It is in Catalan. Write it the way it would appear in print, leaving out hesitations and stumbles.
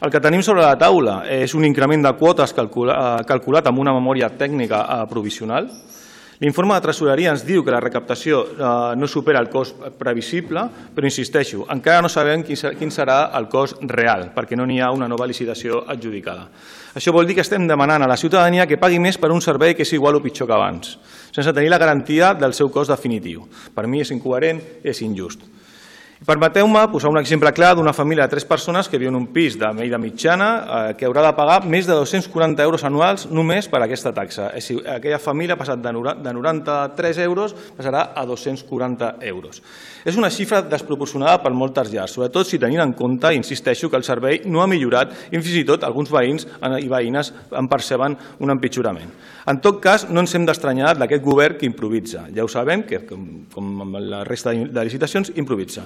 El que tenim sobre la taula és un increment de quotes calculat amb una memòria tècnica provisional. L'informe de tresoreria ens diu que la recaptació no supera el cost previsible, però insisteixo, encara no sabem quin serà el cost real, perquè no n'hi ha una nova licitació adjudicada. Això vol dir que estem demanant a la ciutadania que pagui més per un servei que és igual o pitjor que abans, sense tenir la garantia del seu cost definitiu. Per mi és incoherent, és injust. Permeteu-me posar un exemple clar d'una família de 3 persones que viu en un pis de mida mitjana que haurà de pagar més de 240 euros anuals només per aquesta taxa. Aquella família ha passat de 93 euros passarà a 240 euros. És una xifra desproporcionada per moltes llars, sobretot si tenint en compte, insisteixo, que el servei no ha millorat i fins i tot alguns veïns i veïnes en perceben un empitjorament. En tot cas, no ens hem d'estranyar d'aquest govern que improvisa. Ja ho sabem, que com la resta de licitacions, improvisa.